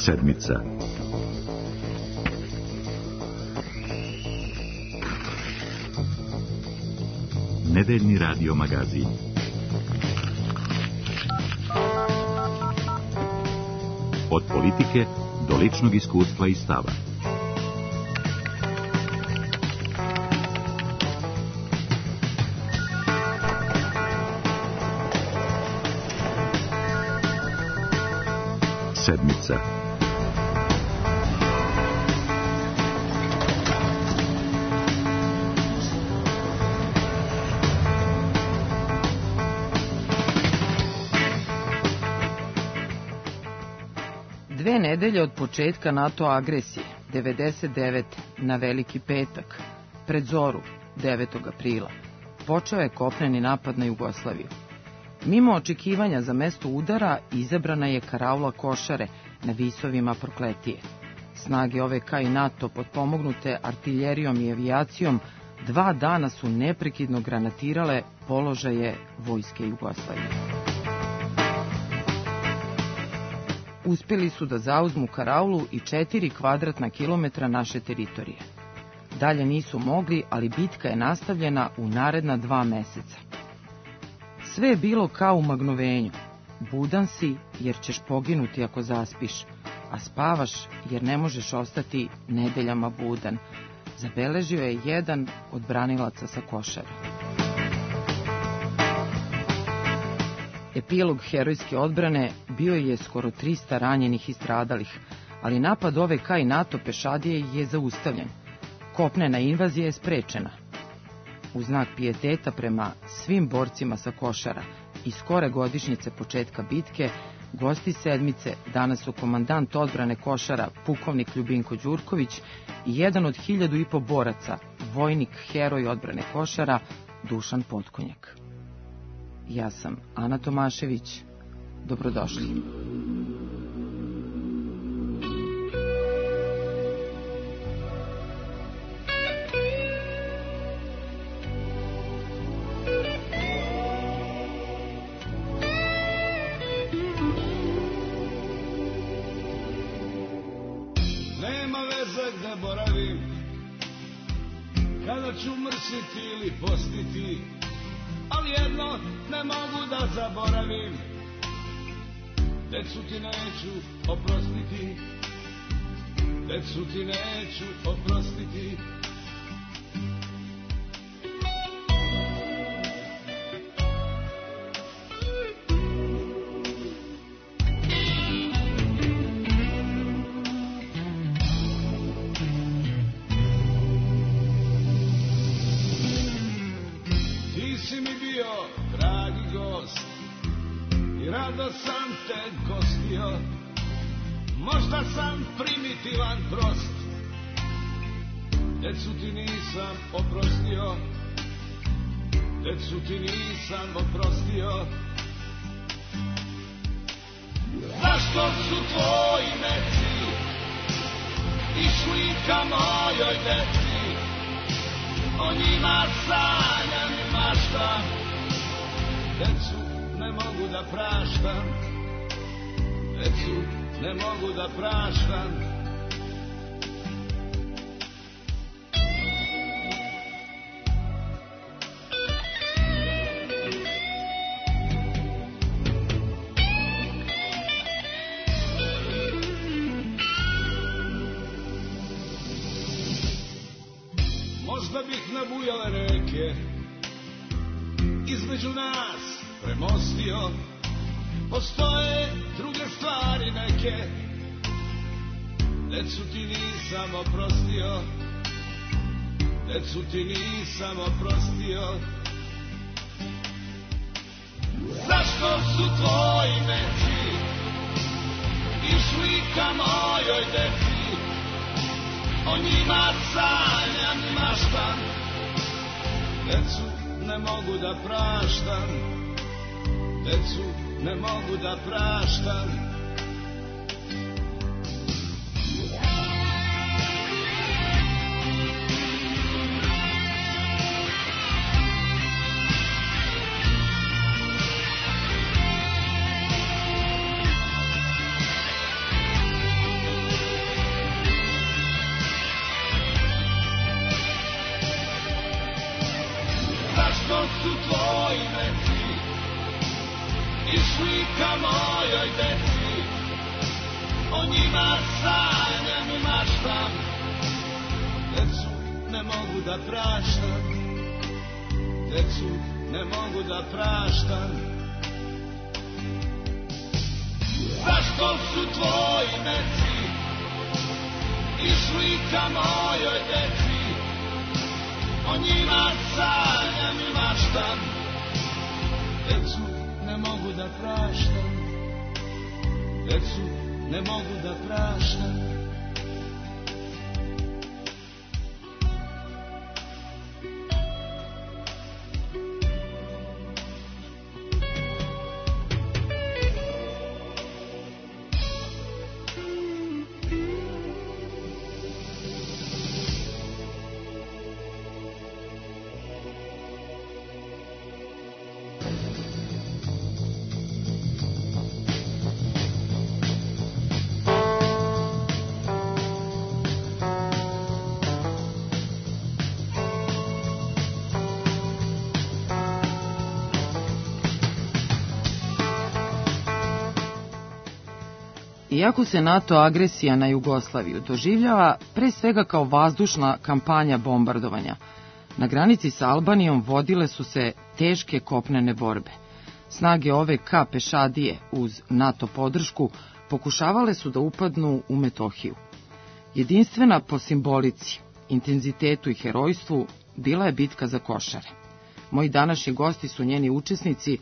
Sedmica. Nedeljni radio magazin. Od politike do ličnog iskustva i stava. Sedmica. Dve nedelje od početka NATO agresije, 99. na Veliki petak, pred zoru, 9. aprila, počeo je kopneni napad na Jugoslaviju. Mimo očekivanja za mesto udara, izabrana je karaula Košare na visovima Prokletije. Snage OVK i NATO, potpomognute artiljerijom i avijacijom, 2 dana su neprekidno granatirale položaje vojske Jugoslavije. Uspjeli su da zauzmu karaulu i 4 kvadratna kilometra naše teritorije. Dalje nisu mogli, ali bitka je nastavljena u naredna 2 meseca. Sve je bilo kao u magnovenju. Budan si jer ćeš poginuti ako zaspiš, a spavaš jer ne možeš ostati nedeljama budan, zabeležio je jedan od branilaca sa Košara. Epilog herojske odbrane bio je skoro 300 ranjenih i stradalih, ali napad OVK i NATO pešadije je zaustavljen. Kopnena invazija je sprečena. U znak pijeteta prema svim borcima sa Košara i skore godišnjice početka bitke, gosti sedmice danas su komandant odbrane Košara, pukovnik Ljubinko Đurković i jedan od 1500 boraca, vojnik heroj odbrane Košara, Dušan Potkonjak. Ja sam Ana Tomašević. Dobrodošli. Nema veze gde boravim, kada ću mrsiti ili postiti, ali jedno ne mogu da zaboravim, decu ti neću oprostiti, decu ti neću oprostiti. Rado sam te gostio, možda sam primitivan, prost, decu ti nisam oprostio, decu ti nisam oprostio. Zašto su tvoji meci išli ka mojoj deci, o njima sanjam i maštam, decu ne mogu da praštam, decu ne mogu da praštam. Možda bih nabujale reke između nas premostio, postoje druge stvari neke, decu ti nisam oprostio, decu ti nisam oprostio. Zašto su tvoji meci išli ka mojoj deci, o njima sanjam i maštam, decu ne mogu da praštam, decu ne mogu da praštam. i slika mojoj deci, o njima sanjam i maštam, decu ne mogu da praštam, decu ne mogu da praštam. Zašto su tvoji meci i slika mojoj deci, o njima sanjam i maštam, decu ne mogu da praštam, decu ne mogu da praštam. Iako se NATO agresija na Jugoslaviju doživljava pre svega kao vazdušna kampanja bombardovanja, na granici sa Albanijom vodile su se teške kopnene borbe. Snage OVK pešadije uz NATO podršku pokušavale su da upadnu u Metohiju. Jedinstvena po simbolici, intenzitetu i herojstvu bila je bitka za Košare. Moji današnji gosti su njeni učesnici,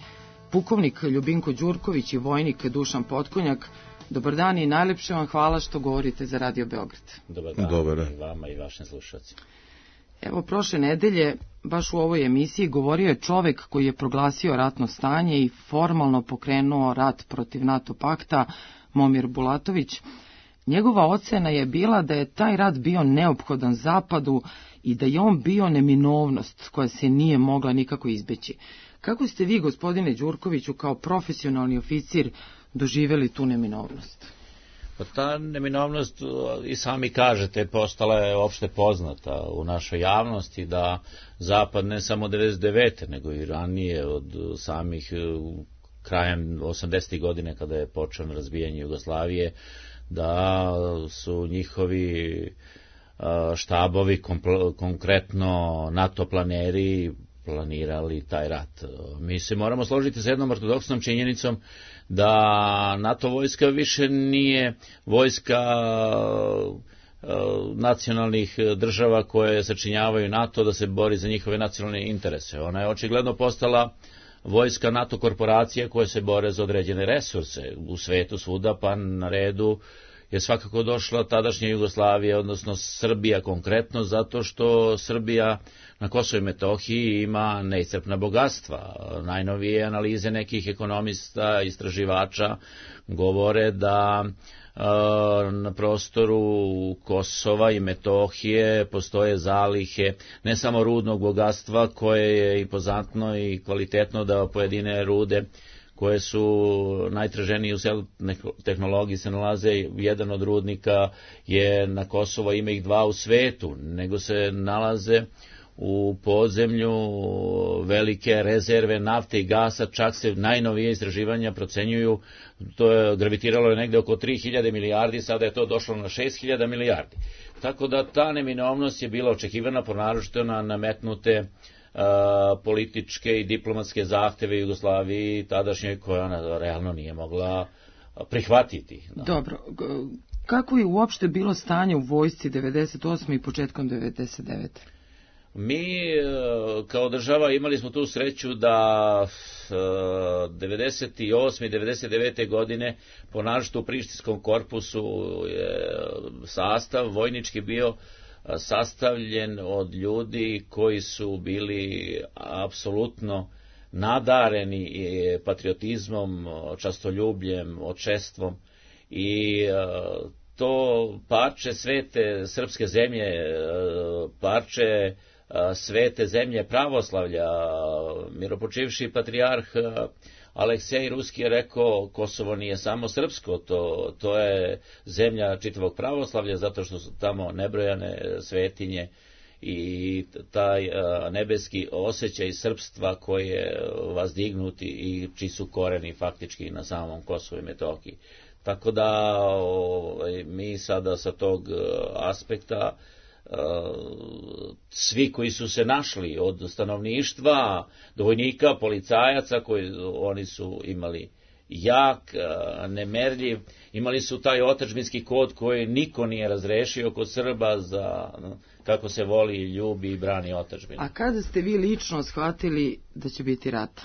pukovnik Ljubinko Đurković i vojnik Dušan Potkonjak. Dobar dan i najlepše vam hvala što govorite za Radio Beograd. Dobar dan i vama i vašim slušalcima. Evo, prošle nedelje, baš u ovoj emisiji, govorio je čovek koji je proglasio ratno stanje i formalno pokrenuo rat protiv NATO pakta, Momir Bulatović. Njegova ocena je bila da je taj rat bio neophodan Zapadu i da je on bio neminovnost koja se nije mogla nikako izbeći. Kako ste vi, gospodine Đurkoviću, kao profesionalni oficir, doživjeli tu neminovnost? Pa ta neminovnost, i sami kažete, postala je opšte poznata u našoj javnosti, da Zapad ne samo 99. nego i ranije od samih krajem 80. godine kada je počeo razbijanje Jugoslavije, da su njihovi štabovi, konkretno NATO planeri, planirali taj rat. Mi se moramo složiti sa jednom ortodoksnom činjenicom da NATO vojska više nije vojska nacionalnih država koje sačinjavaju NATO da se bori za njihove nacionalne interese. Ona je očigledno postala vojska NATO korporacije koje se bore za određene resurse u svetu svuda, pa na redu je svakako došla tadašnja Jugoslavija, odnosno Srbija konkretno, zato što Srbija na Kosovu i Metohiji ima neiscrpna bogatstva. Najnovije analize nekih ekonomista, istraživača govore da na prostoru Kosova i Metohije postoje zalihe ne samo rudnog bogatstva koje je impozantno i kvalitetno, da pojedine rude koje su najtraženije u tehnologiji se nalaze, jedan od rudnika je na Kosovo, ima ih dva u svetu, nego se nalaze u podzemlju velike rezerve nafte i gasa, čak se najnovije istraživanja procenjuju, to je gravitiralo negde oko 3000 milijardi, sada je to došlo na 6000 milijardi. Tako da ta neminovnost je bila očekivana, naročito na nametnute političke i diplomatske zahteve Jugoslaviji tadašnjoj, koja ona realno nije mogla prihvatiti. Da. Dobro, kako je uopšte bilo stanje u vojsci 98. i početkom 99. Mi kao država imali smo tu sreću da 98. i 99. godine po naročito u Prištinskom korpusu sastav vojnički bio sastavljen od ljudi koji su bili apsolutno nadareni patriotizmom, častoljubljem, očestvom i to parče svete srpske zemlje, parče svete zemlje pravoslavlja, miropočivši patrijarh Aleksej Ruski je rekao, Kosovo nije samo srpsko, to je zemlja čitavog pravoslavlja, zato što su tamo nebrojane svetinje i taj nebeski osjećaj srpstva koje vas dignuti i čiji su koreni faktički na samom Kosovu i Metohiji. Tako da mi sada sa tog aspekta svi koji su se našli od stanovništva do vojnika, policajaca, koji oni su imali jak, nemerljiv, imali su taj otadžbinski kod koji niko nije razrešio kod Srba za kako se voli, ljubi i brani otadžbinu. A kada ste vi lično shvatili da će biti rata?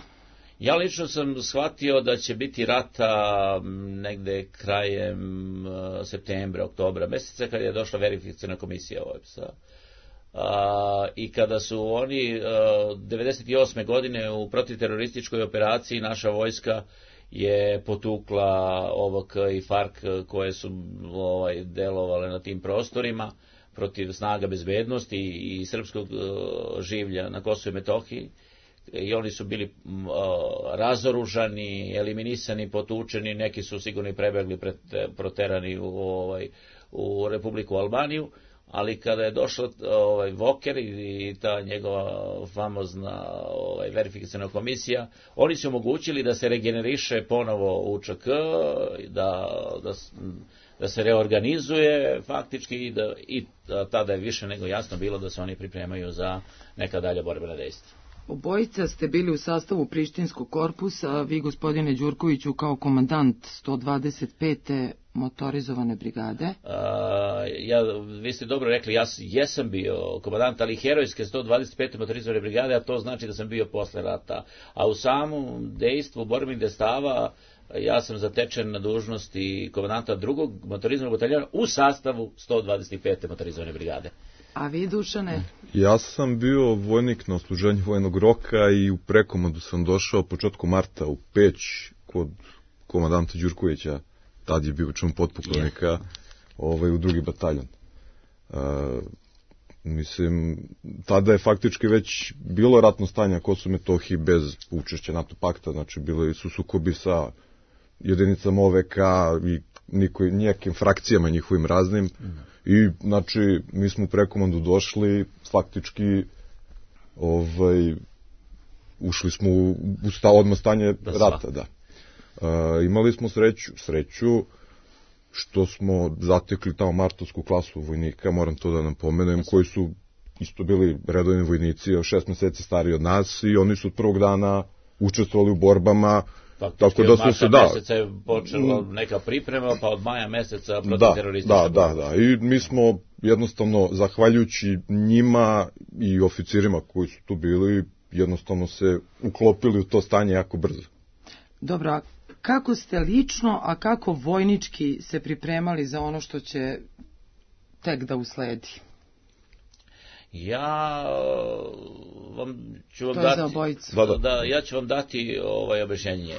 Ja lično sam shvatio da će biti rata negde krajem septembra, oktobra meseca, kada je došla verifikaciona komisija OEBS-a. I kada su oni 98. godine u protivterorističkoj operaciji naša vojska je potukla OVK i FARC koje su delovale na tim prostorima protiv snaga bezbednosti i srpskog življa na Kosovu i Metohiji. I oni su bili razoružani, eliminisani, potučeni, neki su sigurno i prebegli, proterani u Republiku Albaniju, ali kada je došao Voker i ta njegova famozna verifikaciona komisija, oni su omogućili da se regeneriše ponovo UČK, da se reorganizuje faktički i tada je više nego jasno bilo da se oni pripremaju za neka dalja borbena dejstva. Obojica ste bili u sastavu Prištinskog korpusa, vi gospodine Đurkoviću kao komandant 125. motorizovane brigade. Vi ste dobro rekli, ja jesam bio komandant, ali herojske 125. motorizovane brigade, a to znači da sam bio posle rata. A u samom dejstvu borbenih dejstava ja sam zatečen na dužnosti komandanta 2. motorizovanog bataljona u sastavu 125. motorizovane brigade. A vi, Dušane? Ja sam bio vojnik na odsluženju vojnog roka i u prekomandu sam došao početku marta u Peć kod komandanta Đurkovića, tad je bio član potpukovnika, u 2. bataljon. Mislim, tada je faktički već bilo ratno stanje na Kosovu i Metohiji bez učešća NATO pakta, znači bili su sukobi sa jedinicama OVK i nijakim frakcijama njihovim raznim. I, znači, mi smo u prekomandu došli, faktički, ušli smo u odmah stanje rata, da. Imali smo sreću, što smo zatekli tamo martovsku klasu vojnika, moram to da nam pomenem, koji su isto bili redovni vojnici, 6 meseci stariji od nas i oni su od prvog dana učestvovali u borbama. Tako da smo se meseca je počela neka priprema, pa od maja meseca protiv teroristička borba. Da. I mi smo jednostavno, zahvaljujući njima i oficirima koji su tu bili, jednostavno se uklopili u to stanje jako brzo. Dobro, a kako ste lično, a kako vojnički se pripremali za ono što će tek da usledi? Ja ću vam dati objašnjenje.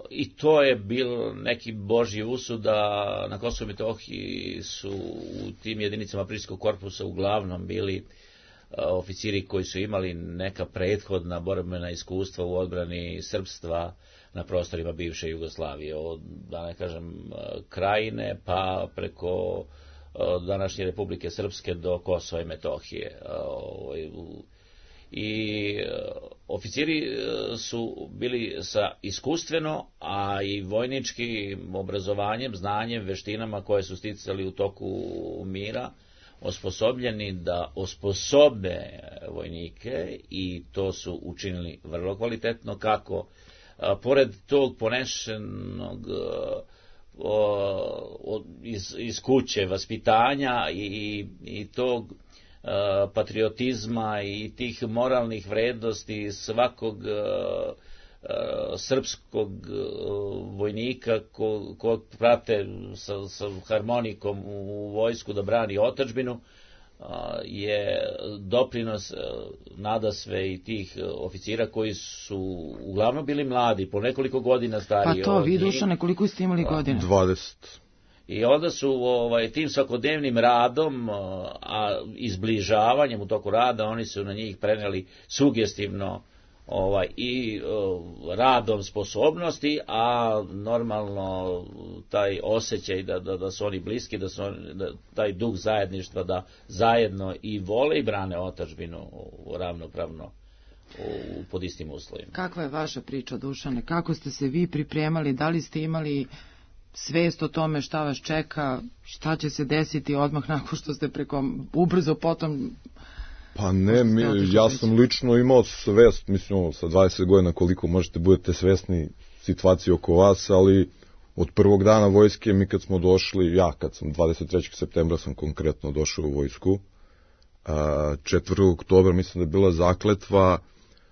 I to je bil neki božji usud da na Kosovu i Metohiji su u tim jedinicama Prištinskog korpusa uglavnom bili oficiri koji su imali neka prethodna borbena iskustva u odbrani srpstva na prostorima bivše Jugoslavije, od, da ne kažem, Krajine pa preko današnje Republike Srpske do Kosova i Metohije. I oficiri su bili sa iskustveno, a i vojničkim obrazovanjem, znanjem, veštinama koje su sticali u toku mira, osposobljeni da osposobe vojnike i to su učinili vrlo kvalitetno, kako pored tog ponešenog iz kuće vaspitanja i tog patriotizma i tih moralnih vrednosti svakog srpskog vojnika ko prate sa harmonikom u vojsku da brani otadžbinu, je doprinos nadasve i tih oficira koji su uglavnom bili mladi, po nekoliko godina stariji. Pa to, vi, Dušane, koliko ste imali godina? 20. I onda su tim svakodnevnim radom, a izbližavanjem u toku rada, oni su na njih preneli sugestivno i radom sposobnosti, a normalno taj osjećaj da su oni bliski, da taj duh zajedništva, da zajedno i vole i brane otadžbinu ravnopravno pod istim uslovima. Kakva je vaša priča, Dušane? Kako ste se vi pripremali? Da li ste imali svest o tome šta vas čeka, šta će se desiti odmah nakon što ste ubrzo potom... Pa ne, ja sam lično imao svest, mislim, sa 20 godina koliko možete budete svesni situacije oko vas, ali od prvog dana vojske, mi kad smo došli, kad sam 23. septembra sam konkretno došao u vojsku, 4. oktobra mislim da je bila zakletva,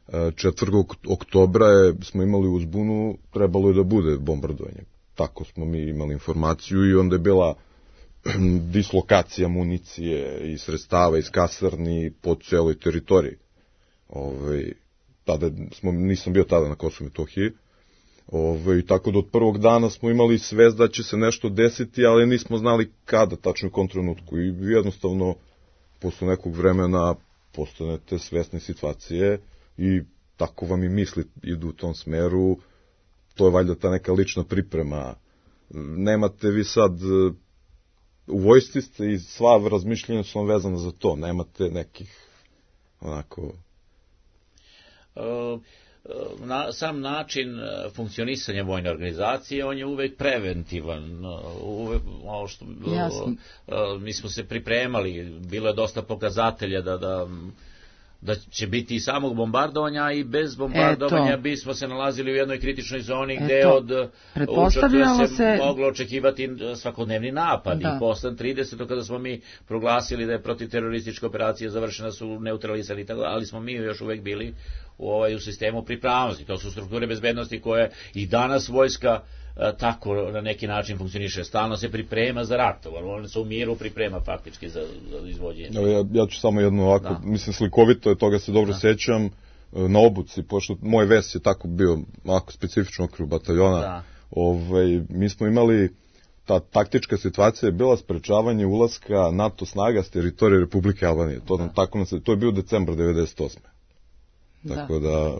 4. oktobra smo imali uzbunu, trebalo je da bude bombardovanje. Tako smo mi imali informaciju i onda je bila dislokacija municije i sredstava iz kasarni po celoj teritoriji. Nisam bio tada na Kosovu i Metohiji. Tako da od prvog dana smo imali svest da će se nešto desiti, ali nismo znali kada, tačno u kom trenutku. I jednostavno, posle nekog vremena postanete svesni situacije i tako vam i misli idu u tom smeru. To je valjda ta neka lična priprema. Nemate vi sad... U vojsci ste i sva razmišljenja su vam vezana za to. Nemate nekih onako... Sam način funkcionisanja vojne organizacije, on je uvek preventivan. Mi smo se pripremali, bilo je dosta pokazatelja da će biti i samog bombardovanja, i bez bombardovanja bismo se nalazili u jednoj kritičnoj zoni gde od učestva se moglo očekivati svakodnevni napad. I posle 30. kada smo mi proglasili da je protiteroristička operacija završena, su neutralisani, ali smo mi još uvek bili u sistemu pripravnosti. To su strukture bezbednosti koje i danas vojska tako na neki način funkcioniše. Stalno se priprema za rat, on se u miru priprema faktički za izvođenje. Ja ću samo jedno ovako, mislim slikovito je, toga se dobro sećam, na obuci, pošto moj ves je tako bio ovako specifično okru bataljona, mi smo imali, ta taktička situacija je bila sprečavanje ulaska NATO snaga s teritorije Republike Albanije. To je bio decembar 98. Tako da...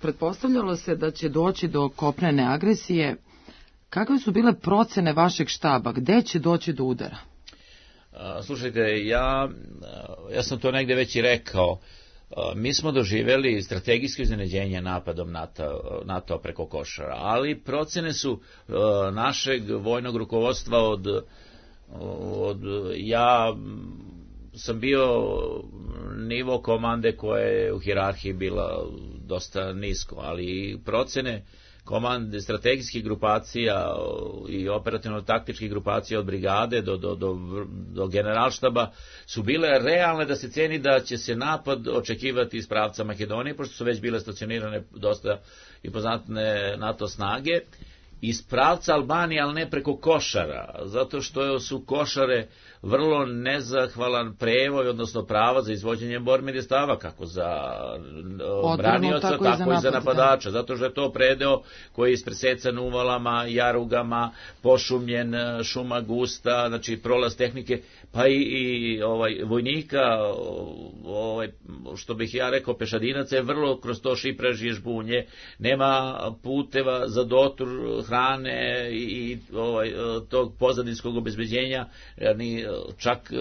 Pretpostavljalo se da će doći do kopnene agresije. Kakve su bile procene vašeg štaba? Gde će doći do udara? Slušajte, ja sam to negde već i rekao. Mi smo doživjeli strategijsko iznenađenje napadom NATO preko Košara, ali procene su našeg vojnog rukovodstva ja sam bio nivo komande koja je u hijerarhiji bila dosta nisko, ali procene komande strategijskih grupacija i operativno-taktičkih grupacija od brigade do generalštaba su bile realne da se ceni da će se napad očekivati iz pravca Makedonije, pošto su već bile stacionirane dosta impozantne NATO snage, iz pravca Albanije, ali ne preko Košara, zato što su Košare vrlo nezahvalan prevoj, odnosno prava za izvođenje borbenih dejstava, kako za branioca, tako i za napadača, zato što je to predeo koji je ispresecan uvalama, jarugama, pošumljen, šuma gusta, znači prolaz tehnike, pa i vojnika, što bih ja rekao, pešadinaca je vrlo kroz to šiprež i žbunje, nema puteva za dotur hrane i tog pozadinskog obezbeđenja, ni čak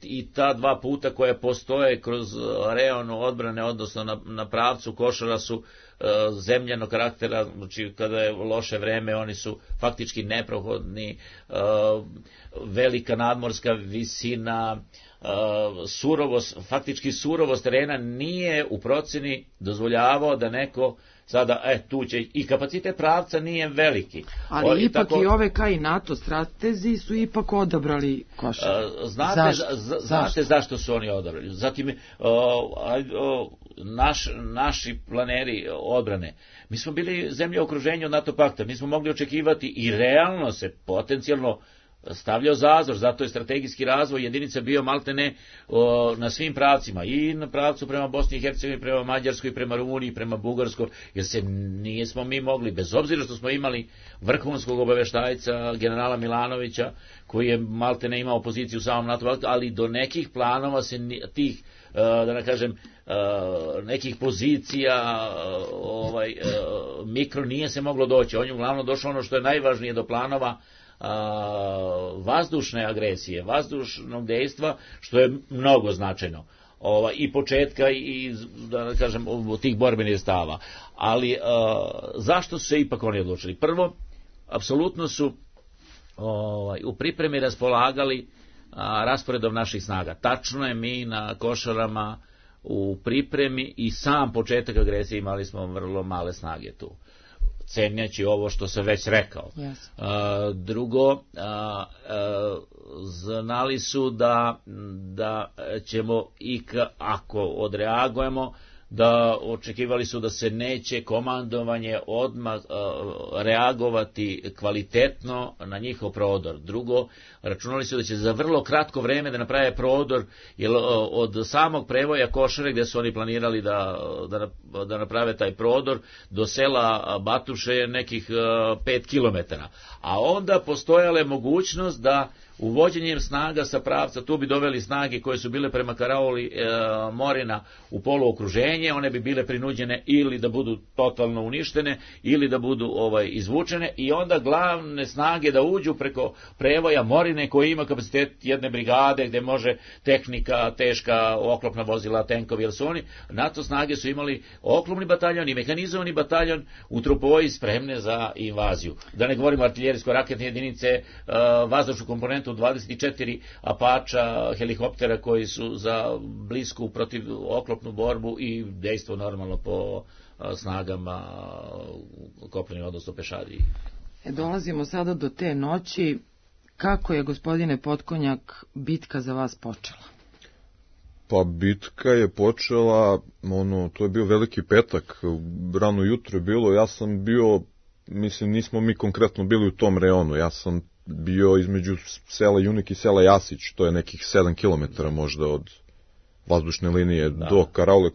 i ta dva puta koje postoje kroz reonu odbrane, odnosno na pravcu Košara, su zemljanog karaktera, znači kada je loše vreme oni su faktički neprohodni, velika nadmorska visina, surovost terena nije u proceni dozvoljavao da neko sada, tu će, i kapacitet pravca nije veliki. Ali ipak i OVK i NATO stratezi su ipak odabrali Košare. Znate zašto su oni odabrali? Zatim, naši planeri odbrane, mi smo bili zemlje u okruženju od NATO pakta, mi smo mogli očekivati i realno se potencijalno stavljao zazor, zato je strategijski razvoj jedinica bio maltene na svim pravcima, i na pravcu prema Bosni i Hercegovini, prema Mađarskoj, prema Rumuniji, prema Bugarskoj, jer se nismo mi mogli, bez obzira što smo imali vrhunskog obaveštajca generala Milanovića, koji je maltene imao poziciju u samom NATO, ali do nekih planova se tih da ne kažem, nekih pozicija, mikro nije se moglo doći. On je uglavnom došlo ono što je najvažnije do planova vazdušne agresije, vazdušnog dejstva, što je mnogo značajno. I početka i da kažem tih borbenih stava. Ali zašto su se ipak oni odlučili? Prvo, apsolutno su u pripremi raspolagali rasporedom naših snaga. Tačno je, mi na Košarama u pripremi i sam početak agresije imali smo vrlo male snage tu, cenjaći ovo što sam već rekao. Yes. Drugo, znali su da ćemo ako odreagujemo, da očekivali su da se neće komandovanje odmah reagovati kvalitetno na njihov prodor. Drugo, računali su da će za vrlo kratko vreme da naprave prodor, jer od samog prevoja Košare, gdje su oni planirali da naprave taj prodor, do sela Batuše je nekih 5 kilometara. A onda postojala je mogućnost da uvođenjem snaga sa pravca, tu bi doveli snage koje su bile prema karauli Morina u poluokruženje, one bi bile prinuđene ili da budu totalno uništene ili da budu izvučene, i onda glavne snage da uđu preko prevoja Morine koji ima kapacitet jedne brigade gdje može tehnika, teška oklopna vozila, tenkovi, jer su oni, NATO snage su imali oklopni bataljon i mehanizovani bataljon u Trupoji spremne za invaziju. Da ne govorimo artiljerijsko-raketne jedinice, vazdušnu komponentu 24 Apača, helikoptera koji su za blisku protiv oklopnu borbu i dejstvo normalno po snagama kopnenim, odnosno pešadiji. Dolazimo sada do te noći. Kako je, gospodine Potkonjak, bitka za vas počela? Pa bitka je počela, to je bio Veliki petak, rano jutro je bilo, ja sam bio, mislim, nismo mi konkretno bili u tom reonu, ja sam bio između sela Junik i sela Jasić, to je nekih 7 km možda od vazdušne linije do karaule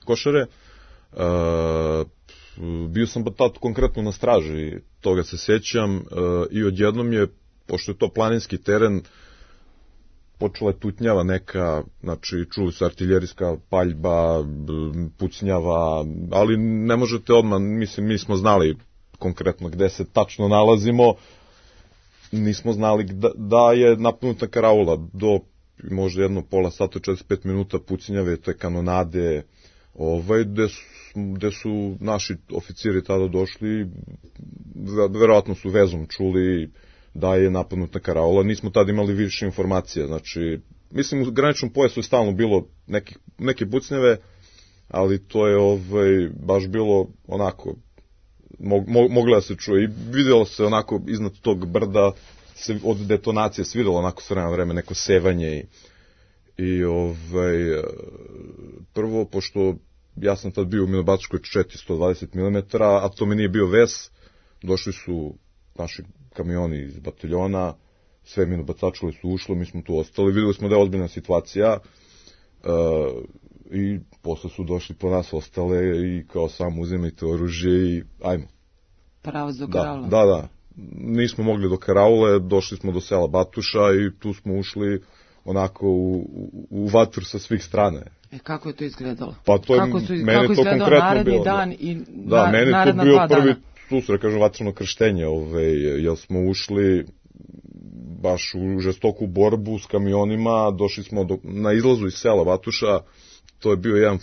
Košare. Bio sam tad konkretno na straži, toga se sjećam, i odjednom je, pošto je to planinski teren, počela je tutnjava neka, znači čuli se artiljerijska paljba, pucnjava, ali ne možete odmah, mislim, mi smo znali konkretno gde se tačno nalazimo, nismo znali da je napunuta karaula, do možda jedno pola sata, 45 minuta pucnjave, te kanonade, gde su naši oficiri tada došli, verovatno su vezom čuli da je napadnuta karaula, nismo tada imali više informacija, znači, mislim, u graničnom pojasu je stalno bilo neke pucnjave, ali to je baš bilo onako, mogla da se čuje i vidjelo se onako iznad tog brda se od detonacije svidjelo onako s vremena neko sevanje i prvo, pošto ja sam tad bio u Minobačkoj 420 mm, a to mi nije bio ves, došli su naši kamioni iz bataljona, sve minobacačile su ušlo, mi smo tu ostali, vidjeli smo da je ozbiljna situacija i posle su došli po nas ostale i kao samo uzimajte oružje i ajmo. Pravo do karaule. Da. Nismo mogli do karaule, došli smo do sela Batuša i tu smo ušli onako u vatru sa svih strane. Kako je to izgledalo? Pa to kako je izgledao naredni dan i meni naredna 2 dana? Da, meni je to bio prvi susret, kažem, vatreno krštenje, jer smo ušli baš u žestoku borbu s kamionima, došli smo na izlazu iz sela Batuša, to je bio jedan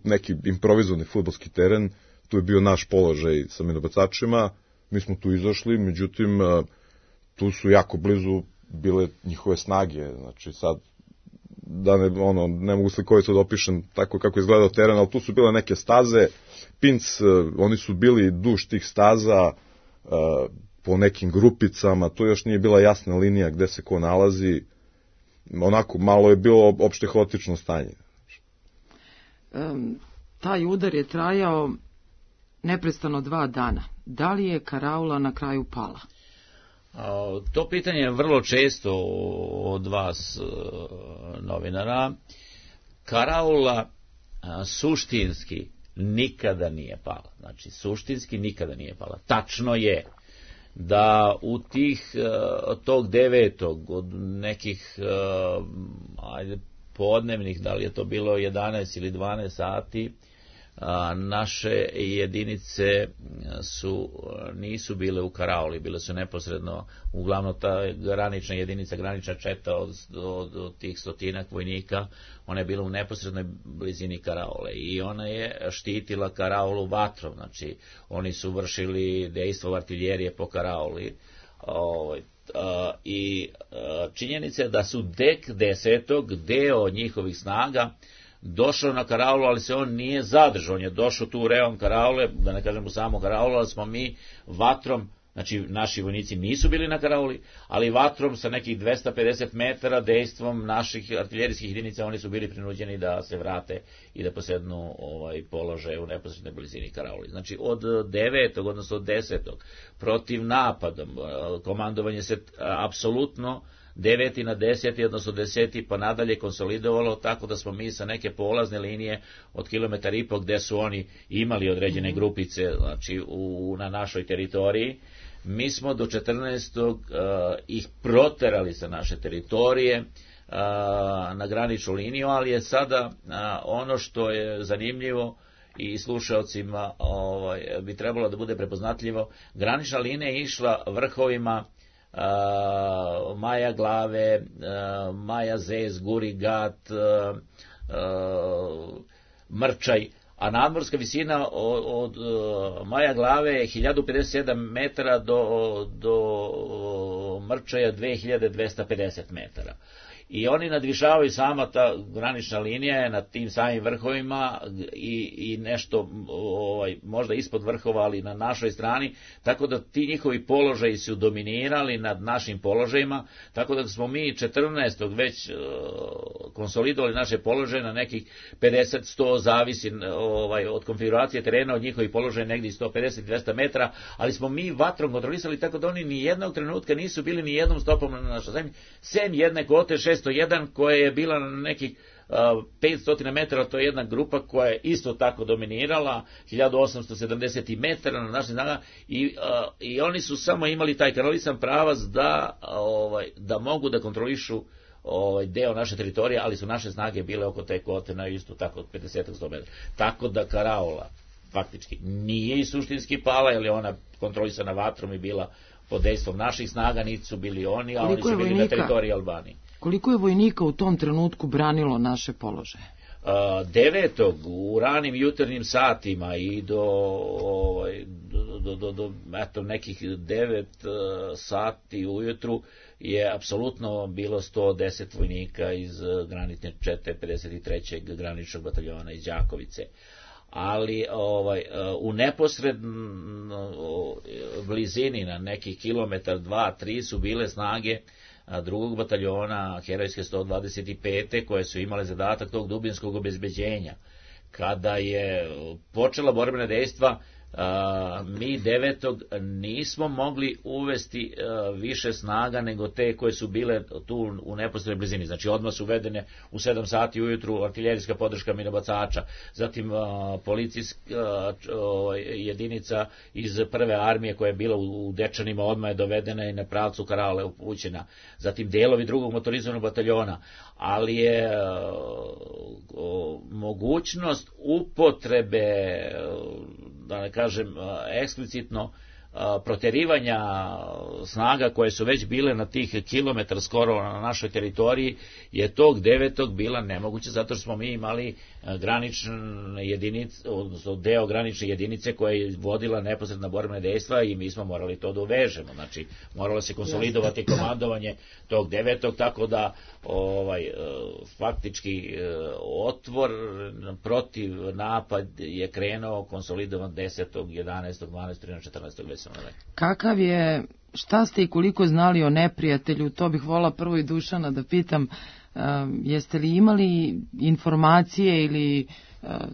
neki improvizovani fudbalski teren, tu je bio naš položaj sa minobacačima, mi smo tu izašli, međutim, tu su jako blizu bile njihove snage, znači sad, da ne mogu slikovito da opišem tako kako je izgledao teren, ali tu su bile neke staze, pinc, oni su bili duž tih staza, po nekim grupicama, to još nije bila jasna linija gde se ko nalazi, onako malo je bilo opšte haotično stanje. Taj udar je trajao neprestano 2 dana. Da li je karaula na kraju pala? To pitanje je vrlo često od vas novinara. Karaula suštinski nikada nije pala. Znači, suštinski nikada nije pala. Tačno je da u tog 9. od nekih popodnevnih, da li je to bilo 11 ili 12 sati, naše jedinice nisu bile u karaoli, bile su neposredno, uglavnom ta granična jedinica, granična četa od tih 100 vojnika, ona je bila u neposrednoj blizini karaole i ona je štitila karaolu vatrom, znači oni su vršili dejstvo artiljerije po karaoli, i činjenica je da su tek 10. deo njihovih snaga došao na karaulu, ali se on nije zadržao, on je došao tu u reon karaule, da ne kažem u samu karaulu, ali smo mi vatrom, znači naši vojnici nisu bili na karauli, ali vatrom sa nekih 250 metara dejstvom naših artiljerijskih jedinica oni su bili prinuđeni da se vrate i da posednu položaje u neposrednoj blizini karauli. Znači od 9. odnosno od 10. protiv napadom, komandovanje se apsolutno 9. na 10. odnosno 10. pa nadalje konsolidovalo, tako da smo mi sa neke polazne linije od 1,5 km gde su oni imali određene grupice, znači na našoj teritoriji, mi smo do 14. ih proterali sa naše teritorije na graničnu liniju, ali je sada ono što je zanimljivo i slušalcima bi trebalo da bude prepoznatljivo, granična linija je išla vrhovima Maja Glave, Maja Zez, Gurigat, Mrčaj, a nadmorska visina od Maja Glave je 1057 metara do Mrčaja 2250 metara. I oni nadvišavaju, sama ta granična linija je na tim samim vrhovima i nešto možda ispod vrhova, ali na našoj strani, tako da ti njihovi položaji su dominirali nad našim položajima, tako da smo mi 14. već konsolidovali naše položaje na nekih 50-100, zavisi od konfiguracije terena, od njihovih položaja negdje 150-200 metara, ali smo mi vatrom kontrolisali, tako da oni ni jednog trenutka nisu bili ni jednom stopom na našoj zemlji, sem jedne kote 601 koja je bila na nekih 500 metara, to je jedna grupa koja je isto tako dominirala, 1870 metara na našim snagama, i oni su samo imali taj kanalisan pravac da mogu da kontrolišu deo naše teritorije, ali su naše snage bile oko te kote na isto tako od 50-100 metara. Tako da karaola faktički nije i suštinski pala, jer je ona kontrolisana vatrom i bila pod dejstvom naših snaga, niti su bili oni, a oni su bili na teritoriji Albanije. Koliko je vojnika u tom trenutku branilo naše položaje? 9. u ranim jutarnjim satima i do nekih 9 sati ujutru je apsolutno bilo 110 vojnika iz granične čete 53. graničnog bataljona iz Đakovice. Ali u neposrednoj blizini na nekih kilometar, 2, 3 su bile snage drugog bataljona herojske 125. koje su imale zadatak tog dubinskog obezbeđenja. Kada je počela borbena dejstva, mi 9. nismo mogli uvesti više snaga nego te koje su bile tu u neposrednoj blizini. Znači odmah su uvedene u 7 sati ujutru artiljerijska podrška minobacača, zatim policijska jedinica iz prve armije koja je bila u Dečanima odmah je dovedena i na pravcu Karaole upućena, zatim delovi drugog motorizovanog bataljona, ali je mogućnost upotrebe, da ne kažem eksplicitno, proterivanja snaga koje su već bile na tih kilometar skoro na našoj teritoriji je tog 9. bila nemoguće, zato što smo mi imali granične jedinice, odnosno deo granične jedinice koja je vodila neposredna borbena dejstva i mi smo morali to da uvežemo, znači moralo se konsolidovati komandovanje tog 9. tako da faktički otvor protiv napad je krenuo konsolidovan 10., 11., 12., 13., 14. već sam rekao. Kakav je, šta ste i koliko znali o neprijatelju, to bih volila prvo i Dušana da pitam, jeste li imali informacije ili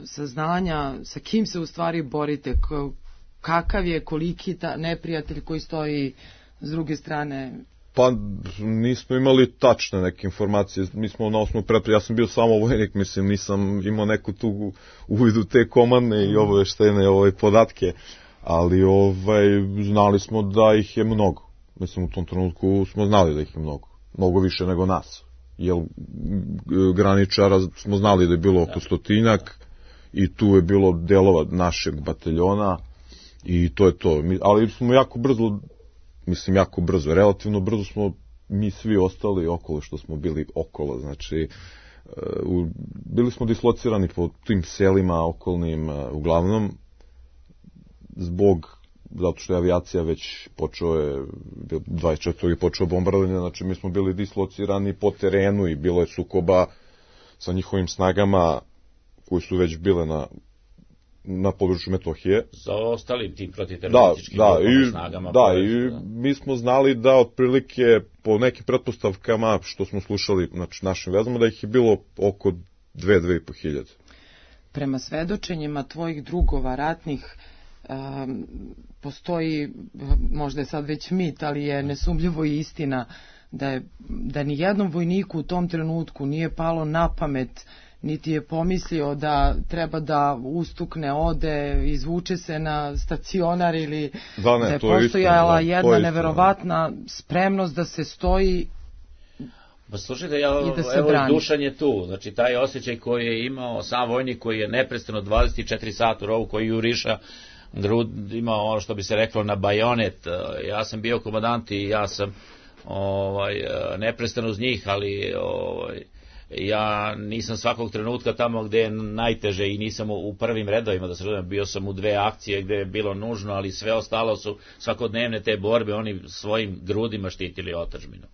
saznanja sa kim se u stvari borite, kakav je, koliki neprijatelj koji stoji s druge strane? Pa nismo imali tačne neke informacije, mi smo na osnovu pretpostavke, ja sam bio samo vojnik, mislim nisam imao neku tu uvid u te komandne i obaveštene podatke, ali znali smo da ih je mnogo. Mislim u tom trenutku smo znali da ih je mnogo više nego nas. jer graničara smo znali da je bilo oko 100 i tu je bilo delova našeg bataljona i to je to. Ali smo jako brzo, relativno brzo smo mi svi ostali okolo što smo bili okolo, znači bili smo dislocirani po tim selima okolnim, uglavnom zato što je avijacija već počeo je 24. počeo bombardovanje, znači mi smo bili dislocirani po terenu i bilo je sukoba sa njihovim snagama koji su već bile na području Metohije. Za ostalim tim protiterorističkim snagama. I mi smo znali da otprilike po nekim pretpostavkama što smo slušali našim vezama da ih je bilo oko 2-2,5 hiljade. Prema svedočenjima tvojih drugova ratnih postoji, možda je sad već mit, ali je nesumljivo i istina da ni jednom vojniku u tom trenutku nije palo na pamet, niti je pomislio da treba da ustukne, ode, izvuče se na stacionar ili da je postojala jedna neverovatna spremnost da se stoji. Pa slušajte, evo Dušan je tu, znači taj osjećaj koji je imao sam vojnik koji je neprestano 24 sata u rovu, koji juriša grud, imao ono što bi se reklo na bajonet. Ja sam bio komandant i ja sam neprestano uz njih, ali ja nisam svakog trenutka tamo gde je najteže i nisam u prvim redovima, da se razumijem, bio sam u 2 akcije gde je bilo nužno, ali sve ostalo su svakodnevne te borbe, oni svojim grudima štitili otadžbinu.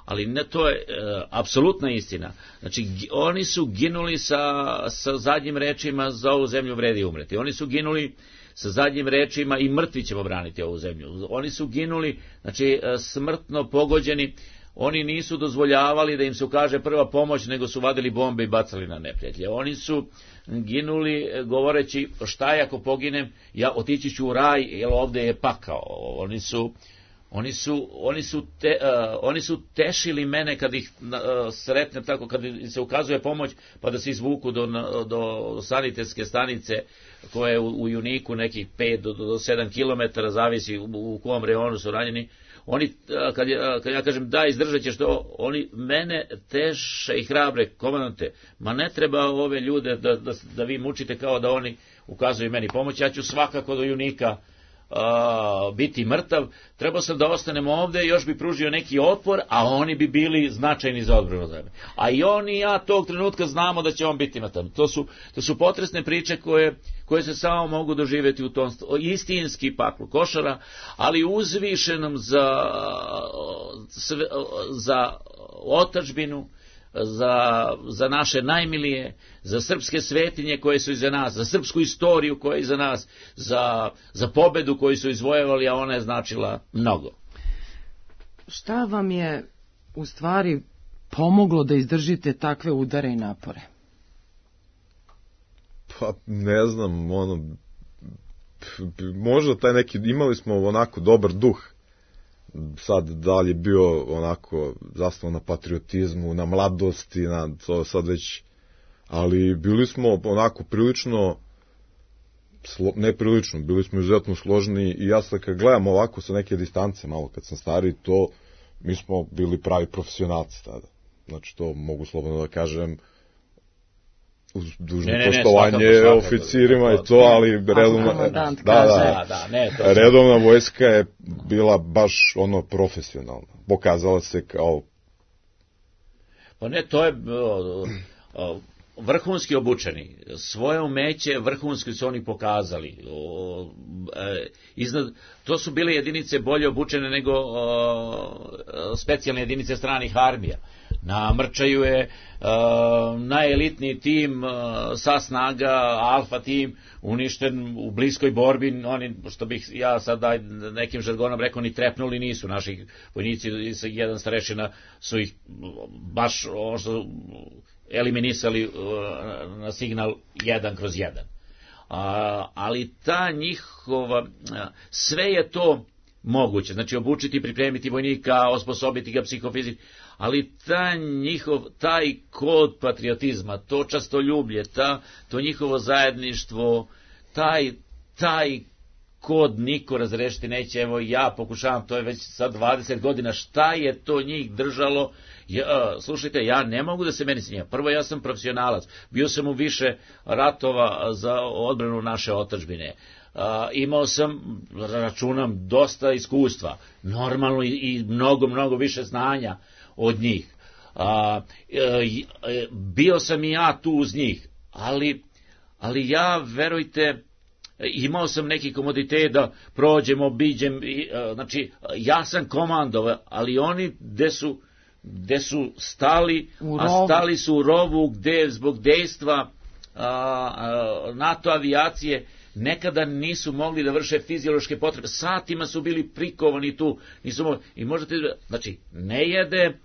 Ali ne, to je apsolutna istina. Znači, oni su ginuli sa zadnjim rečima za ovu zemlju vredi umreti. Oni su ginuli sa zadnjim rečima i mrtvi ćemo braniti ovu zemlju. Oni su ginuli, znači, smrtno pogođeni. Oni nisu dozvoljavali da im se ukaže prva pomoć, nego su vadili bombe i bacali na neprijatelje. Oni su ginuli govoreći šta je ako poginem, ja otići ću u raj, jer ovde je pakao. Oni su tešili mene kad ih sretnem tako, kad im se ukazuje pomoć, pa da se izvuku do sanitetske stanice koja je u Juniku nekih 5 do 7 kilometara, zavisi u kom reonu su ranjeni. Oni, kad ja kažem da, izdržat ćeš to, oni mene teše i hrabre, komandante, ma ne treba ove ljude da vi mučite kao da oni ukazuju meni pomoć, ja ću svakako do Junika biti mrtav, trebao sam da ostanem ovde, još bi pružio neki otpor, a oni bi bili značajni za odbranu zemlje. A i oni i ja tog trenutka znamo da će on biti mrtav. To su potresne priče koje se samo mogu doživjeti u tom istinski paklu košara, ali uzvišenom za otadžbinu, za naše najmilije, za srpske svetinje koje su iza nas, za srpsku istoriju koja je iza nas, za pobedu koju su izvojevali, a ona je značila mnogo. Šta vam je u stvari pomoglo da izdržite takve udare i napore? Pa ne znam, možda taj neki, imali smo onako dobar duh. Sad da li je bio onako zasnovan na patriotizmu, na mladosti, na to sad već, ali bili smo onako prilično, neprilično, bili smo izuzetno složni i ja sad kad gledam ovako sa neke distance, malo kad sam stariji, to mi smo bili pravi profesionalci tada. Znači to mogu slobodno da kažem, uz dužno poštovanje oficirima i to, ali redovna vojska je bila baš profesionalna. Pokazala se kao... Pa ne, to je vrhunski obučeni. Svoje umeće vrhunski su oni pokazali. To su bile jedinice bolje obučene nego specijalne jedinice stranih armija. Na Mrčaju je najelitniji tim sa snaga, alfa tim, uništen u bliskoj borbi. Oni, što bih ja sad nekim žargonom rekao, ni trepnuli nisu. Naši vojnici, jedan starešina, su ih baš eliminisali na signal 1/1. Ali ta njihova, sve je to moguće, znači obučiti, pripremiti vojnika, osposobiti ga psihofizički, ali taj kod patriotizma, to častoljublje, to njihovo zajedništvo, taj niko razrešiti neće, evo ja pokušavam, to je već sad 20 godina, šta je to njih držalo, slušajte, ja ne mogu da se meni snija, prvo ja sam profesionalac, bio sam u više ratova za odbranu naše otadžbine, imao sam, računam, dosta iskustva, normalno i mnogo više znanja od njih, bio sam i ja tu uz njih, ali ja, verujte, imao sam neki komoditet da prođem, obiđem, znači ja sam komandovao, ali oni gde su stali, a stali su u rovu gde zbog dejstva NATO avijacije nekada nisu mogli da vrše fiziološke potrebe, satima su bili prikovani tu, i možete, znači ne jede,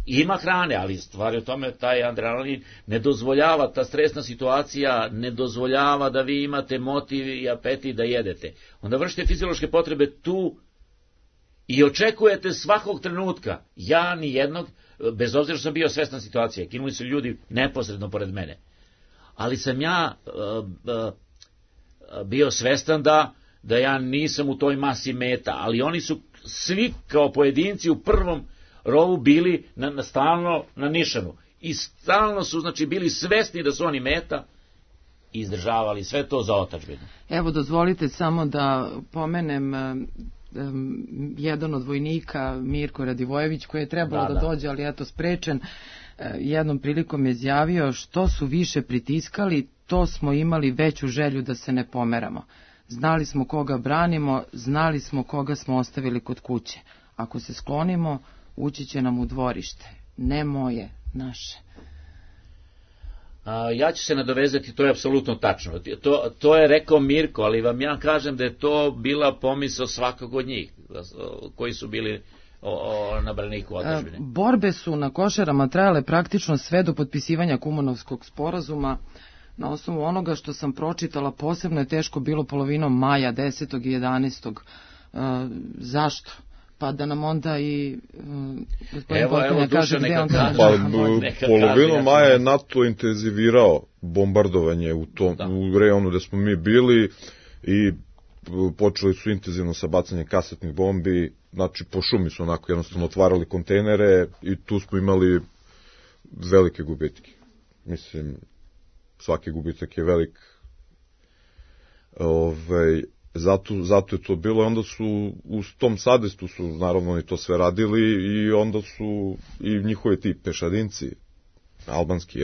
ima hrane, ali stvari o tome, taj adrenalin ne dozvoljava, ta stresna situacija ne dozvoljava da vi imate motiv i apetit da jedete. Onda vršite fiziološke potrebe tu i očekujete svakog trenutka, ja ni jednog, bez obzira što sam bio svestan situacije, kinuli su ljudi neposredno pored mene, ali sam ja bio svestan da ja nisam u toj masi meta, ali oni su svi kao pojedinci u prvom rovu bili stalno na nišanu i stalno su, znači, bili svesni da su oni meta i izdržavali sve to za otadžbinu. Evo, dozvolite samo da pomenem jedan od vojnika, Mirko Radivojević, koji je trebalo da dođe, ali eto sprečen, jednom prilikom je izjavio: što su više pritiskali, to smo imali veću želju da se ne pomeramo. Znali smo koga branimo, znali smo koga smo ostavili kod kuće. Ako se sklonimo, ući će nam u dvorište. Ne moje, naše. Ja ću se nadovezati, to je apsolutno tačno. To je rekao Mirko, ali vam ja kažem da je to bila pomisao svakog od njih, koji su bili na braniku otadžbine. Borbe su na Košarama trajale praktično sve do potpisivanja Kumanovskog sporazuma. Na osnovu onoga što sam pročitala, posebno je teško bilo polovinom maja, 10. i 11. Zašto? Pa da nam onda i gospodin Potkonja kaže gde on to... Polovinom maja je NATO intenzivirao bombardovanje u rejonu gde smo mi bili i počeli su intenzivno sa bacanjem kasetnih bombi, znači po šumi su onako jednostavno otvarali kontejnere i tu smo imali velike gubitke. Mislim, svaki gubitak je velik. Zato je to bilo, i onda su u tom sadestu su naravno oni to sve radili i onda su i njihovi ti pešadinci, albanski,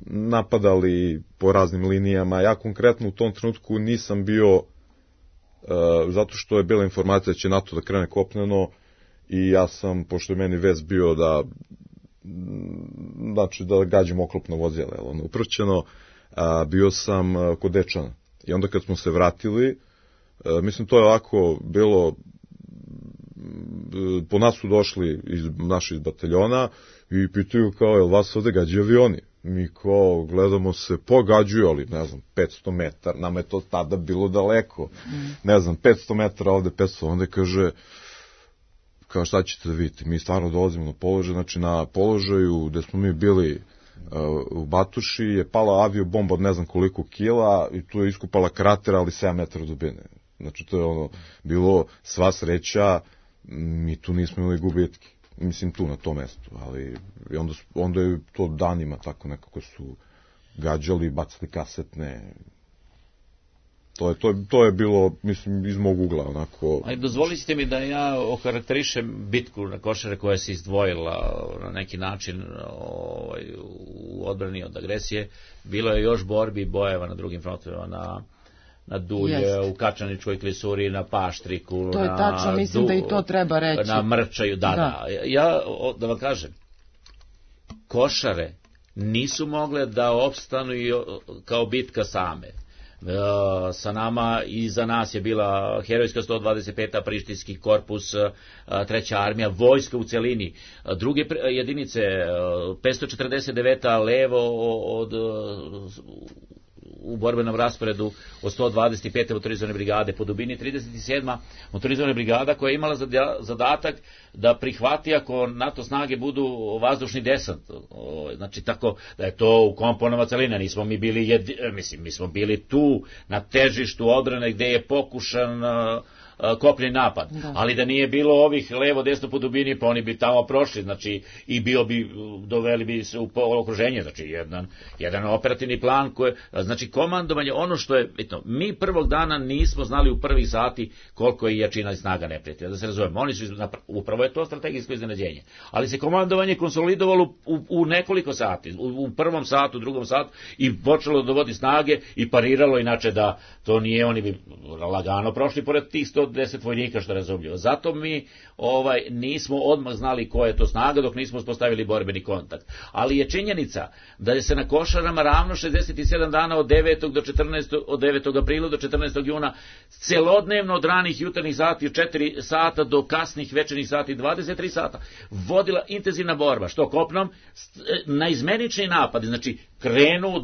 napadali po raznim linijama. Ja konkretno u tom trenutku nisam bio, zato što je bila informacija da će NATO da krene kopneno i ja sam, pošto je meni vez bio da gađam oklopno vozilo, uprćeno, bio sam kod Dečana. I onda kad smo se vratili, mislim to je ovako bilo, po nas su došli naši iz bataljona i pitaju kao, jel vas ovde gađaju avioni? Mi kao gledamo se, pogađuju, ali ne znam, 500 metara, nama je to tada bilo daleko, ne znam, 500 metara ovde, 500, onda kaže, kao šta ćete da vidite, mi stvarno dolazimo na položaj, znači na položaju gde smo mi bili u Batuši je pala aviobomba od ne znam koliko kila i tu je iskupala krater, ali 7 metara dubine. Znači to je bilo sva sreća, mi tu nismo imali gubitke, mislim tu na tom mestu, ali onda je to danima tako nekako su gađali, bacali kasetne. To je bilo, mislim, iz mog ugla, onako... Ajde, dozvolite mi da ja okarakterišem bitku na Košare koja se izdvojila na neki način u odbrani od agresije. Bilo je još borbi i bojeva na drugim frontovima, na Dulje, u Kačaničkoj klisuri, na Paštriku, to je tačno, mislim da i to treba reći. Na Mrčaju, da. Ja, da vam kažem, Košare nisu mogle da opstanu kao bitka same. Sa nama i za nas je bila herojska 125. Prištinski korpus, 3. armija, vojska u celini, druge jedinice, 549. levo u borbenom rasporedu od 125. motorizovane brigade, po dubini 37. motorizovana brigada koja je imala zadatak da prihvati ako NATO snage budu vazdušni desant. Znači tako da je to u komponama celine, nismo mi bili, mi smo bili tu na težištu odbrane gde je pokušan kopljeni napad, ali da nije bilo ovih levo desno po dubini, pa oni bi tamo prošli, znači i doveli bi se u okruženje, znači jedan operativni plan znači komandovanje, ono što je bitno, mi prvog dana nismo znali u prvih sati koliko je jačina i snaga neprijatelja, da se razumemo, oni su upravo je to strategijsko iznenađenje, ali se komandovanje konsolidovalo u nekoliko sati, u prvom satu, drugom satu i počelo dovodi snage i pariralo, inače da to nije, oni bi lagano prošli pored tih 110 vojnika, što je razumljivo. Zato mi nismo odmah znali koja je to snaga dok nismo uspostavili borbeni kontakt. Ali je činjenica da je se na Košarama ravno 67 dana od 9. aprila do 14. juna celodnevno od ranih jutarnjih sati 4 sata do kasnih večernjih sati 23 sata vodila intenzivna borba, što kopnom na izmenični napad, znači krenu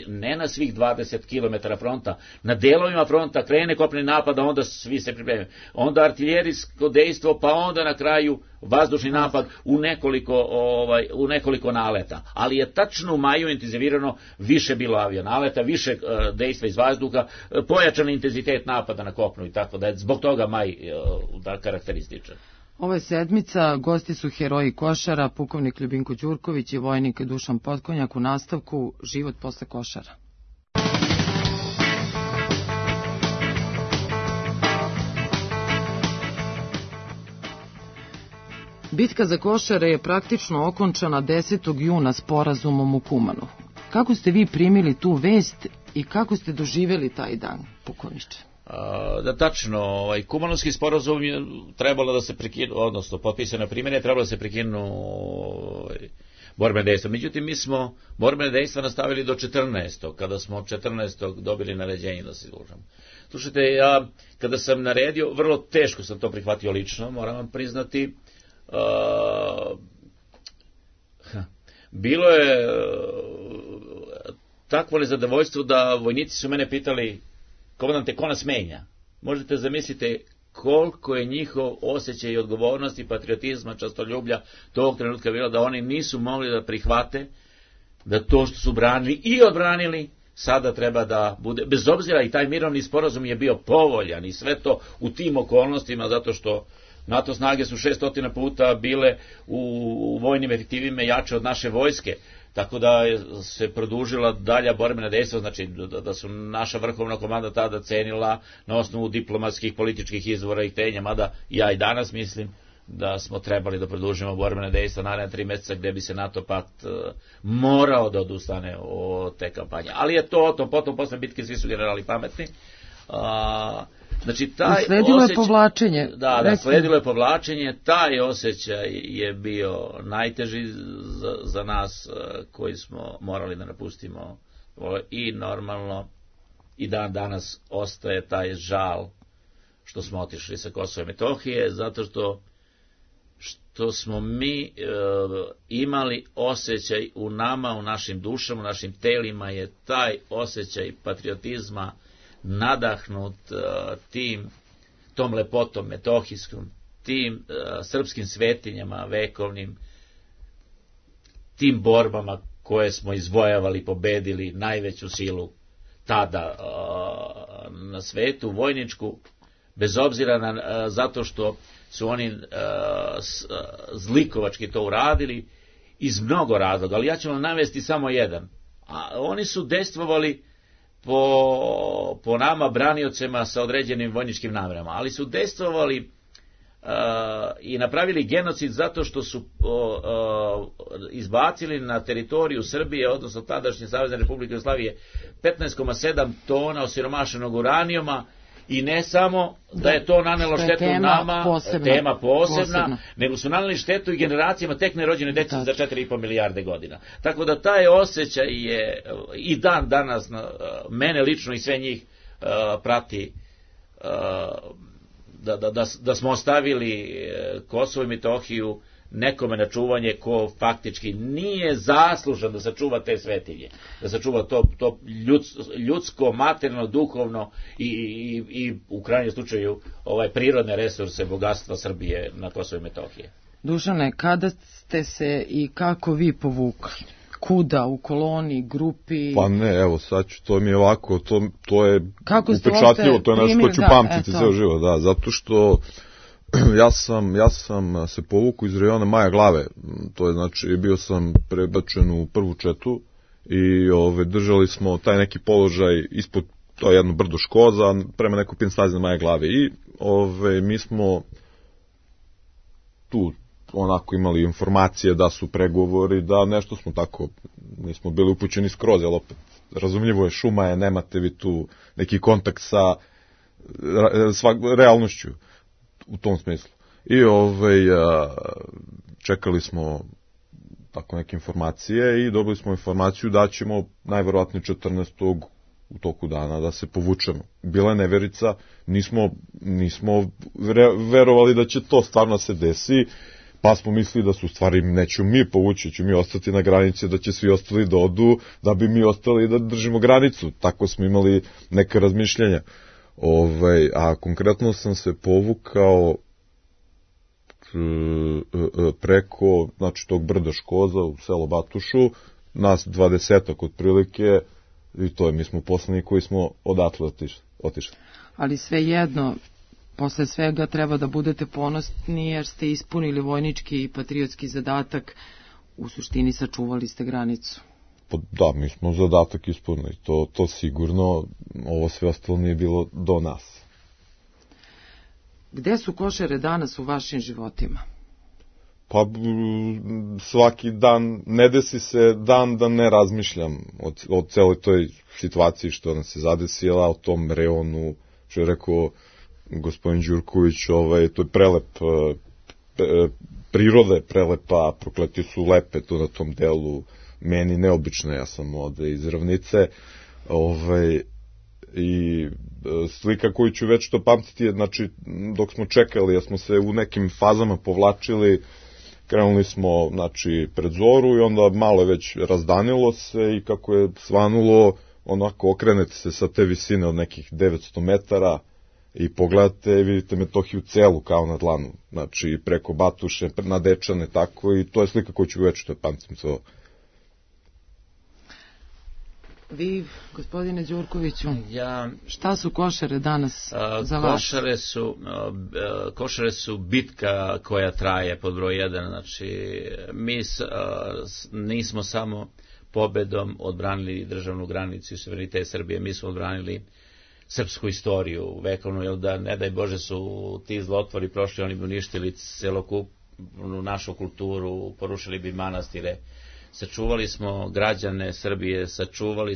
ne na svih 20 km fronta, na delovima fronta krene kopneni napad, a onda svi se pripremaju. Onda artiljerijsko dejstvo, pa onda na kraju vazdušni napad u nekoliko naleta. Ali je tačno u maju intenzivirano, više bilo avionaleta, više dejstva iz vazduha, pojačan intenzitet napada na kopnu i tako da je zbog toga maj karakterističan. Ove sedmica gosti su heroji Košara, pukovnik Ljubinko Đurković i vojnik Dušan Potkonjak, u nastavku Život posle Košara. Bitka za Košare je praktično okončana 10. juna sporazumom u Kumanu. Kako ste vi primili tu vest i kako ste doživjeli taj dan, pukovniče? Da, tačno, Kumanovski sporazum je trebalo da se prekinu, odnosno potpisane primjene, trebalo da se prekinu borbene dejstva. Međutim, mi smo borbene dejstva nastavili do 14. kada smo 14. dobili naređenje da se izlužamo. Slušajte, ja kada sam naredio, vrlo teško sam to prihvatio lično, moram vam priznati, bilo je takvo nezadovoljstvo da vojnici su mene pitali: komandante, ko nas menja? Možete zamislite koliko je njihov osjećaj i odgovornosti, patriotizma, častoljublja tog trenutka bilo, da oni nisu mogli da prihvate da to što su branili i odbranili sada treba da bude, bez obzira, i taj mirovni sporazum je bio povoljan i sve to u tim okolnostima, zato što NATO snage su 600 puta bile u vojnim efektivima jače od naše vojske, tako da se produžila dalja borbena dejstva, znači da su naša vrhovna komanda tada cenila na osnovu diplomatskih, političkih izvora i htenja, mada ja i danas mislim da smo trebali da produžimo borbene dejstva naredne 3 meseca gde bi se NATO pakt morao da odustane od te kampanje. Ali je to potom posle bitke svi su generali pametni. Znači, sledilo je povlačenje. Da, sledilo je povlačenje, taj osjećaj je bio najteži za nas koji smo morali da napustimo i normalno i dan danas ostaje taj žal što smo otišli sa Kosova i Metohije, zato što smo mi imali osjećaj u nama, u našim dušama, u našim telima je taj osjećaj patriotizma nadahnut tom lepotom metohijskom, tim srpskim svetinjama vekovnim, tim borbama koje smo izvojavali, pobedili najveću silu tada na svetu, vojničku, bez obzira zato što su oni zlikovački to uradili iz mnogo razloga, ali ja ću vam navesti samo jedan. Oni su dejstvovali po nama braniocima sa određenim vojničkim namerama, ali su dejstvovali i napravili genocid zato što su izbacili na teritoriju Srbije, odnosno tadašnje Savezne Republike Jugoslavije, 15,7 tona osiromašenog uranijuma. I ne samo da je to nanelo štetu nama, tema posebna, nego su naneli štetu i generacijama tek nerođene dece za 4,5 milijarde godina. Tako da taj osjećaj je i dan danas mene lično i sve njih prati, da smo ostavili Kosovo i Metohiju nekome na čuvanje ko faktički nije zaslužan da sačuva te svetinje, da sačuva to ljudsko, materijalno, duhovno i u krajnjem slučaju prirodne resurse, bogatstva Srbije na Kosovo i Metohije. Dušane, kada ste se i kako vi povukli? Kuda, u koloni, grupi? Pa ne, evo sad ću, to mi je ovako, to je upečatljivo, to je nešto što ću pamtiti ceo život, da, zato što ja sam se povukao iz rejona Maja Glave, to je znači, bio sam prebačen u prvu četu i držali smo taj neki položaj ispod, to je jedno brdo Škoza, prema nekoj pinstazi na Maja Glave i mi smo tu onako imali informacije da su pregovori, da nešto smo tako, nismo bili upućeni skroz, ali opet razumljivo je, šuma je, nemate vi tu neki kontakt sa realnošću u tom smislu. I čekali smo tako neke informacije i dobili smo informaciju da ćemo najverovatnije 14. u toku dana da se povučemo. Bila je neverica, nismo verovali da će to stvarno se desi, pa smo mislili da su stvari neću mi povući, ću mi ostati na granici, da će svi ostali da odu, da bi mi ostali da držimo granicu. Tako smo imali neke razmišljenja. A konkretno sam se povukao preko, znači, tog brda Škoza u selo Batušu, nas 20-ak otprilike, i to je, mi smo poslani koji smo odatle otišli. Ali svejedno, posle svega treba da budete ponosni jer ste ispunili vojnički i patriotski zadatak, u suštini sačuvali ste granicu. Da, mi smo zadatak ispunili, to sigurno, ovo sve ostalo nije bilo do nas. Gde su Košare danas u vašim životima? Pa svaki dan, ne desi se dan da ne razmišljam o celoj toj situaciji što nas je zadesila, o tom reonu, što je rekao gospodin Đurković, to je prelep, priroda je prelepa, prokleti su lepe tu na tom delu, meni neobično, ja sam ovde iz Ravnice, i slika koju ću već to pamtiti je, znači, dok smo čekali, ja smo se u nekim fazama povlačili, krenuli smo, znači, pred zoru i onda malo je već razdanilo se i kako je svanulo, onako okrenete se sa te visine od nekih 900 metara i pogledate i vidite Metohiju celu kao na dlanu, znači preko Batuše, na Dečane, tako, i to je slika koju ću već to pamtim sve ovo. Vi, gospodine Đurkoviću, šta su Košare danas za vas? Košare su bitka koja traje pod broj 1, znači mi nismo samo pobedom odbranili državnu granicu i suverenitet Srbije, mi smo odbranili srpsku istoriju vekovnu, jer da ne daj Bože su ti zlotvori prošli, oni bi uništili celokupnu našu kulturu, porušili bi manastire. Sačuvali smo građane Srbije, sačuvali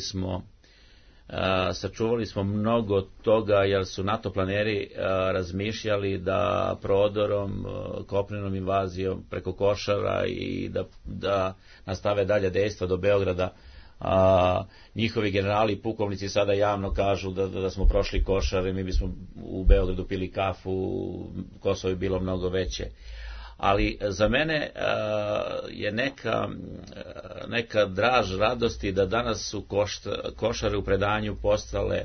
smo mnogo toga, jer su NATO planeri razmišljali da prodorom, kopnenom invazijom preko Košara i da nastave dalje dejstva do Beograda. Njihovi generali i pukovnici sada javno kažu da smo prošli Košare, mi bismo u Beogradu pili kafu, Kosovo je bilo mnogo veće. Ali za mene je neka draž radosti da danas su Košare u predanju postale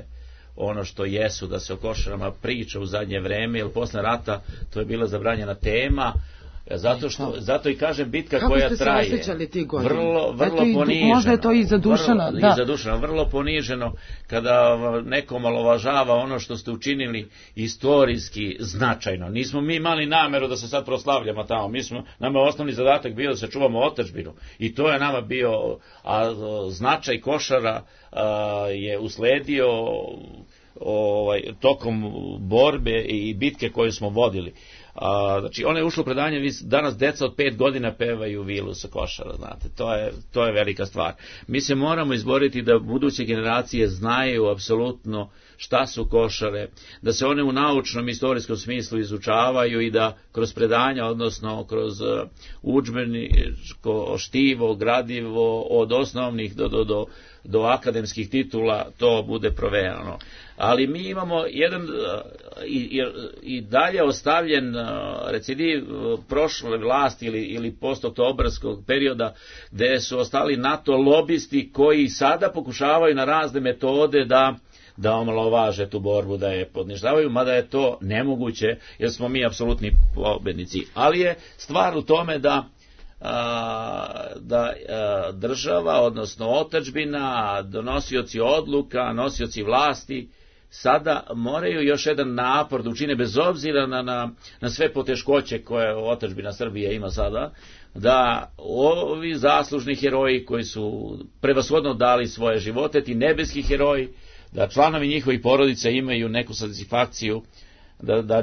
ono što jesu, da se o Košarama priča u zadnje vreme, jer posle rata to je bila zabranjena tema, zato i kažem bitka koja traje. Kako ste se osjećali tih godina? Vrlo poniženo. Možda je to i za Dušana. Vrlo poniženo kada neko omalovažava ono što ste učinili istorijski značajno. Nismo mi imali nameru da se sad proslavljamo tamo. Nama je osnovni zadatak bio da sačuvamo otadžbinu. I to je nama bio, a značaj Košara je usledio tokom borbe i bitke koju smo vodili. Znači, ona je ušla u predanje, danas deca od 5 godina pevaju vilu sa Košara, znate, to je velika stvar. Mi se moramo izboriti da buduće generacije znaju apsolutno šta su Košare, da se one u naučnom, istorijskom smislu izučavaju i da kroz predanja, odnosno kroz udžbeničko štivo, gradivo, od osnovnih do akademskih titula, to bude provejano. Ali mi imamo jedan i dalje ostavljen recidiv prošle vlasti ili postoktobarskog perioda, gde su ostali NATO lobisti koji sada pokušavaju na razne metode da omalovaže tu borbu, da je podnižavaju, mada je to nemoguće, jer smo mi apsolutni pobednici. Ali je stvar u tome da država, odnosno otadžbina, donosioci odluka, nosioci vlasti, sada moraju još jedan napor da učine, bez obzira na sve poteškoće koje otadžbina Srbije ima sada, da ovi zaslužni heroji koji su prevashodno dali svoje živote, ti nebeski heroji, da članovi njihovih porodica imaju neku satisfakciju,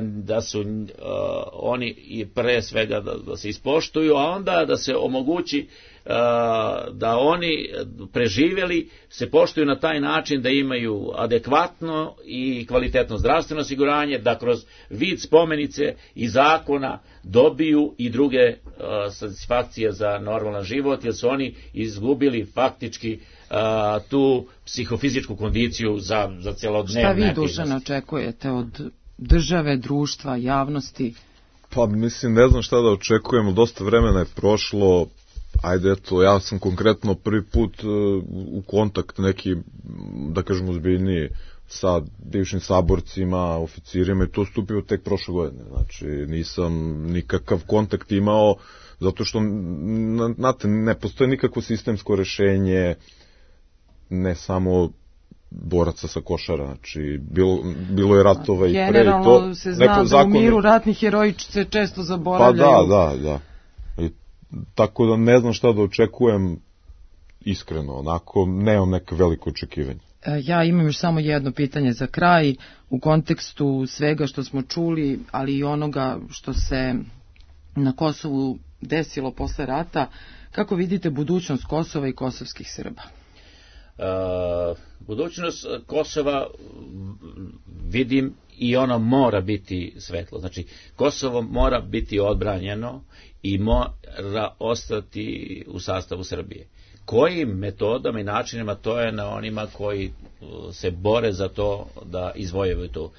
da su oni i pre svega da se ispoštuju, a onda da se omogući da oni preživeli se poštuju na taj način da imaju adekvatno i kvalitetno zdravstveno osiguranje, da kroz vid spomenice i zakona dobiju i druge satisfakcije za normalan život, jer su oni izgubili faktički tu psihofizičku kondiciju za celodnevne aktivnosti. Šta vi, Dušan, očekujete od države, društva, javnosti? Pa mislim, ne znam šta da očekujemo, dosta vremena je prošlo. Ajde, eto, ja sam konkretno prvi put u kontakt neki, da kažem, ozbiljniji sa bivšim saborcima, oficirima, i to stupio tek prošle godine. Znači, nisam nikakav kontakt imao, zato što, znate, ne postoje nikakvo sistemsko rešenje, ne samo boraca sa Košara, znači bilo je ratova i pre i to. Generalno se zna da u miru ratni heroji se često zaboravljaju. Pa da. I tako da ne znam šta da očekujem, iskreno, onako, nemam neka veliko očekivanje. Ja imam još samo jedno pitanje za kraj, u kontekstu svega što smo čuli, ali i onoga što se na Kosovu desilo posle rata. Kako vidite budućnost Kosova i kosovskih Srba? Budućnost Kosova vidim i ono mora biti svetlo. Znači, Kosovo mora biti odbranjeno i mora ostati u sastavu Srbije. Kojim metodama i načinima, to je na onima koji se bore za to da izvojevaju to.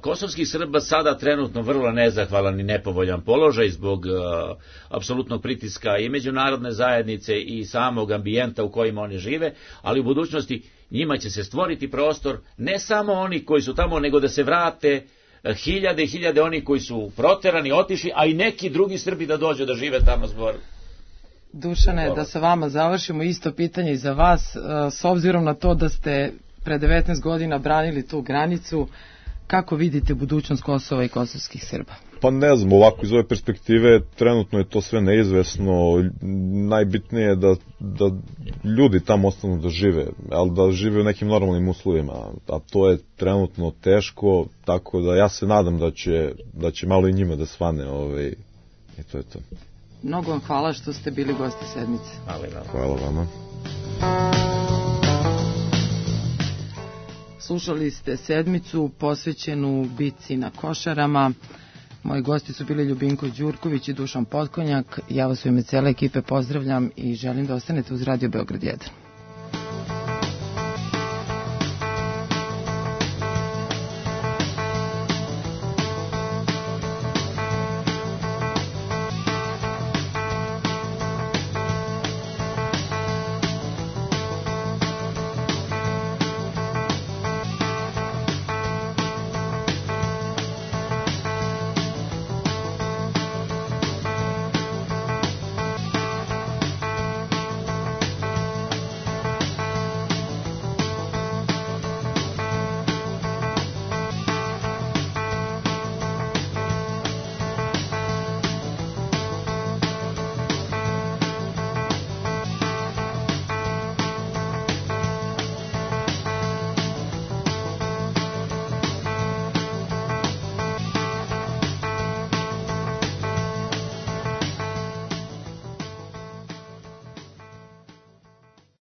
Kosovskih Srba sada trenutno vrlo nezahvalan i nepovoljan položaj zbog apsolutnog pritiska i međunarodne zajednice i samog ambijenta u kojima oni žive, ali u budućnosti njima će se stvoriti prostor, ne samo oni koji su tamo, nego da se vrate hiljade i hiljade oni koji su proterani, otišli, a i neki drugi Srbi da dođu da žive tamo zbog. Dušane, da sa vama završimo, isto pitanje i za vas, s obzirom na to da ste pre 19 godina branili tu granicu, kako vidite budućnost Kosova i kosovskih Srba? Pa ne znam, ovako iz ove perspektive trenutno je to sve neizvesno. Najbitnije je da ljudi tamo ostanu da žive, ali da žive u nekim normalnim uslovima, a to je trenutno teško, tako da ja se nadam da će malo i njima da svane i to je to. Mnogo vam hvala što ste bili gosti sedmice. Hvala vama. Slušali ste sedmicu posvećenu bitci na Košarama. Moji gosti su bili Ljubinko Đurković i Dušan Potkonjak. Ja vas u ime cele ekipe pozdravljam i želim da ostanete uz Radio Beograd 1.